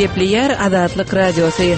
Gepleýär Azatlyk Radiosy.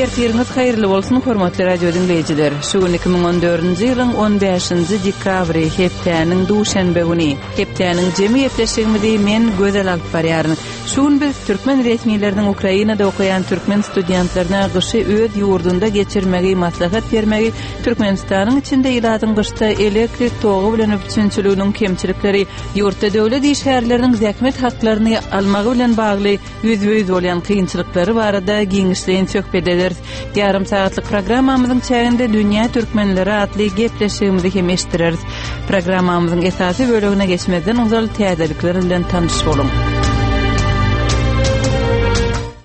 Ertiriňiz haýyrly bolsun, hormatly radio diňleýjiler. Şu gün 2014-nji ýylyň 15-nji dekabry, hepdäniň duşenbe güni. Hepdäniň jemi gepleşigimizi men Gözel alyp barýaryn. Şu gün biz türkmen resmileriniň Ukrainada okaýan türkmen studentlerine gyşy öz ýurdunda geçirmegi maslahat bermegi, Türkmenistanyň içinde ilatyň gyşda elektrik togy bilen üpjünçiliginiň kemçilikleri, ýurtda döwlet işgärleriniň zähmet haklaryny almagy bilen bagly ýüzbe-ýüz bolýan kynçylyklary barada giňişleýin söhbet ederis. Ýarym sagatlyk programmamyzyň çäginde Dünýä türkmenleri atly gepleşigimizi hem eşitdireris. Programmamyzyň esasy bölegine geçmezden ozal täzelikler bilen tanyş boluň.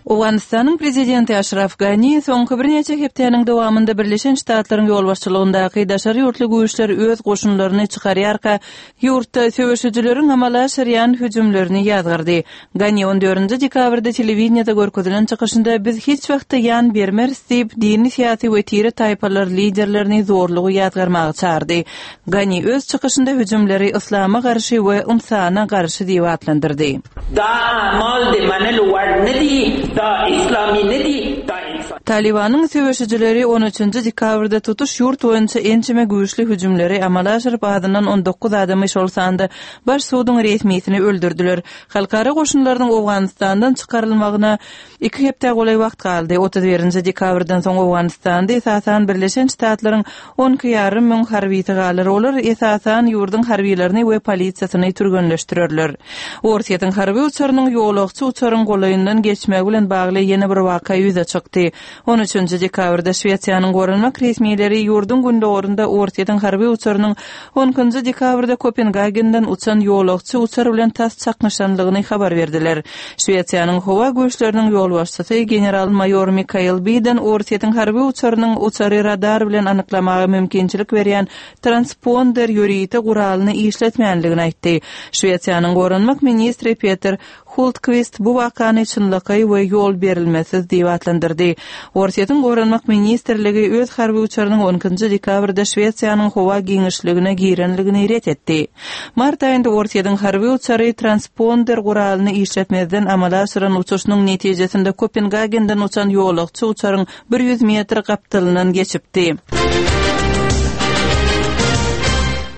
Owganystanyň prezidenti Aşraf Gani soňky birnäçe hepdäniň dowamynda Birleşen Ştatlaryň ýolbaşçylygyndaky daşary ýurtly güýçler öz goşunlaryny çykarýarka, ýurtda söweşijileriň amala aşyrýan hüjümlerini ýazgardy. Gani on dördünji dekabrda telewideniýede görkezilen çykyşynda biz hiç wagtda ýan bermeris diýip, dini-syýasy we tire-taýpalar liderlerini zorlugy ýazgarmaga çagyrdy. Gani öz çykyşynda hüjümleri yslama garşy we ynsana garşy diýip atlandyrdy. Da amal de manelo war nedi, da islami nedi, da insani. Talybanyň söweşijileri on üçünji dekabrda tutuş ýurt boýunça ençeme güýçli hüjümleri amala aşyryp, azyndan 19 adamy, şol sanda baş suduň resmisini öldürdiler. Halkara goşunlarynyň Owganystandan çykarylmagyna iki hepdä golaý wagt galdy. 31-nji dekabrdan soň Owganystanda esasan Birleşen Ştatlaryň 12 ýarym müň harbysy galar. Olar esasan ýurduň harbylaryny we polisiýasyny türgenleşdirerler. Orsýetiň harby uçarynyň ýolagçy uçaryň golaýyndan geçmegi bilen bagly ýene bir waka ýüze çykdy. On üçünji dekabrda Şwesiýanyň goranmak resmileri ýurduň gündogarynda Orsýetiň harby uçarynyň on ikinji dekabrda Kopengagenden uçan ýolagçy uçar bilen tas çaknyşanlygyny habar berdiler. Şwesiýanyň howa güýçleriniň ýolbaşçysy general-maýor Mikael Biden Orsýetiň harby uçarynyň uçary radar bilen anyklamaga mümkinçilik berýän transponder ýörite guralyny işletmänligini aýtdy. Şwesiýanyň goranmak ministri Peter Hultkwist bu wakany çynlakaý we ýol berilmesiz diýip atlandyrdy. Orsýetiň Goranmak ministrligi öz harby uçarynyň on ikinji dekabrda Şwesiýanyň howa giňişligine girenligini ret etdi. Mart aýynda Orsýetiň harby uçary transponder guralyny işletmezden amala aşyran uçuşynyň netijesinde Kopengagenden uçan ýolagçy uçaryň 100 metr gapdalyndan geçipdi.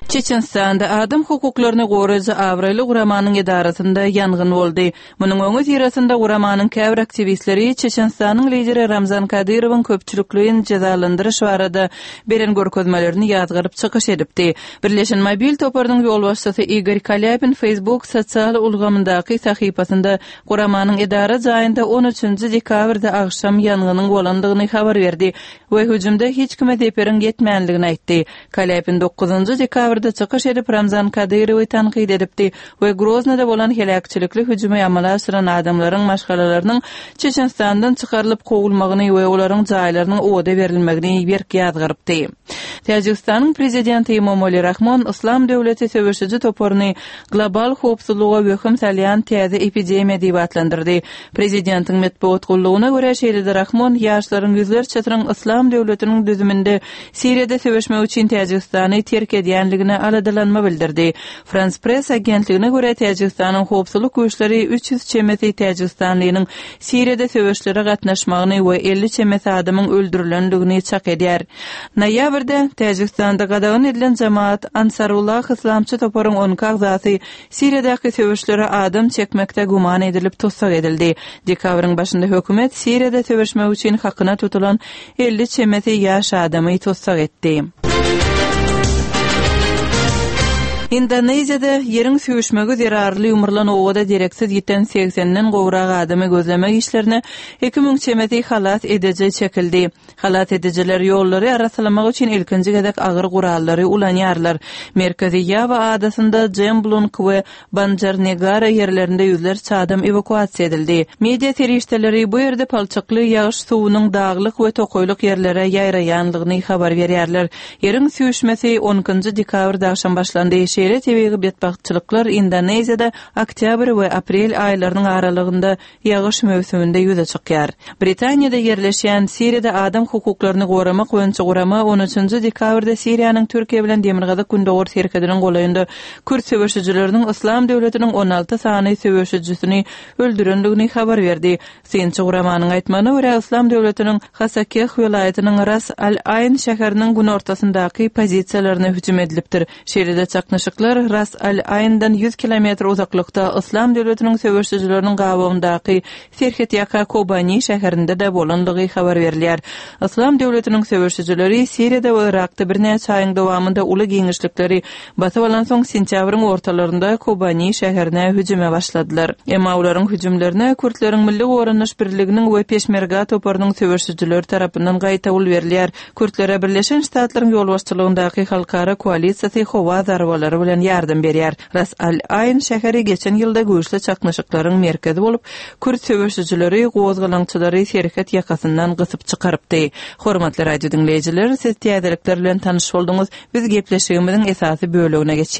Çeçenistanda adam hukuklaryny goraýjy abraýly guramanyň edarasynda ýangyn boldy. Munuň öňüsyrasynda guramanyň käbir aktiwistleri Çeçenistanyň lideri Ramzan Kadyrowyň köpçülikleýin jezalandyryş barada beren görkezmelerini ýazgaryp çykyş edipdi. Birleşen mobil toparynyň ýolbaşçysy Igor Kalýapin Facebook sosial ulgamyndaky sahypasynda Guramanyň edara jaýynda on üçünji dekabrda agşam ýangynyň bolandygyny habar berdi we hüjümde hiç kime zeperiň ýetmändigini aýtdy. Kalýapin dokuzynjy dekabrda çykyş edip, Ramzan Kadyrowy tankyt edipdi we Groznada bolan heläkçilikli hüjümi amala aşyran adamlaryň maşgalalarynyň Çeçenistandan çykarylyp kowulmagyny we olaryň jaýlarynyň oda berilmegini berk ýazgarypdy. Täjigistanyň prezidenti Emomali Rahmon Yslam döwleti söweşiji toparyny global howpsuzlyga wehim salýan täze epidemiýa diýip atlandyrdy. Prezidentiň metbugat gullugyna görä, şeýle-de Rahmon ýaşlaryň ýüzlerçesiniň Yslam döwletiniň düzüminde Siriýada söweşmek üçin Täjigistany terk edýänligine aladalanma bildirdi. Frans Press agentligine görä, Täjigistanyň howpsuzlyk güýçleri 300 çemesi täjigistanlynyň Siriýada söweşlere gatnaşmagyny we 50 çemesi adamyň öldürilendigini çak edýär. Noýabrda Täjigistanda gadagan edilen Jamaat Ansarullah yslamçy toparyň on iki agzasy Siriýadaky söweşlere adam çekmekde güman edilip tussag edildi. Dekabryň başynda hökümet Siriýada söweşmek üçin hakyna tutulan 50 çemesi ýaş adamy tussag etdi. Indoneziýada ýeriň süýşmegi zerarly ýumrulan obada dereksiz ýiten segsenden gowrak adamy gözlemek işlerine 2000 çemesi halas ediji çekildi. Halas edijiler ýollary arassalamak üçin ilkinji gezek agyr gurallary ulanýarlar. Merkezi Ýawa adasynda Jemblung we Banjarnegara ýerlerinde ýüzlerçe adam ewakuasiýa edildi. Media serişdeleri bu ýerde palçykly ýagyş suwunyň daglyk we tokaýlyk ýerlere ýaýraýanlygyny habar berýärler. Ýeriň süýşmesi on ikinji dekabrda agşam başlandy. Şeýle tebigy betbagtçylyklar Indoneziýada oktýabr we aprel aýlarynyň aralygynda ýagyş möwsüminde ýüze çykýar. Britaniýada ýerleşýän Siriýada adam hukuklaryny goramak boýunça gurama on üçünji dekabrda Siriýanyň Türkiýe bilen demirgazyk-gündogar serhediniň golaýynda kürt söweşijileriniň Yslam döwletiniň 16 sany söweşijisini öldürendigini habar berdi. Synçy guramanyň aýtmagyna görä, Yslam döwletiniň Hasakeh welaýatynyň Ras al-Aýn şäheriniň günortasyndaky pozisiýalaryna hüjüm edilipdir. Şeýle-de çaknyşyklar Ras al-Aýndan 100 kilometr uzaklykda Yslam döwletiniň söweşijileriniň gabawyndaky serhetýaka Kobani şäherinde-de bolandygy habar berilýär. Yslam döwletiniň söweşijileri Siriýada we Yrakda birnäçe aýyň dowamynda uly giňişlikleri basyp alansoň, sentýabryň ortalarynda Kobani şäherine hüjüme başladylar. Emma olaryň hüjümlerine kürtleriň Milli goranyş birliginiň we Peşmerga toparynyň söweşijileri tarapyndan gaýtawul berilýär. Kürtlere Birleşen Ştatlaryň ýolbaşçylygyndaky halkara koalisiýasy howa zarbalary bilen ýardam berýär. Ras al-Aýn şäheri geçen ýylda güýçli çaknyşyklaryň merkezi bolup, kürt söweşijileri gozgalaňçylary serhet ýakasyndan gysyp çykarypdy. Hormatly radio diňleýjiler, siz täzelikler bilen tanyş bolduňyz. Biz gepleşigimiziň esasy bölegine geçýäris.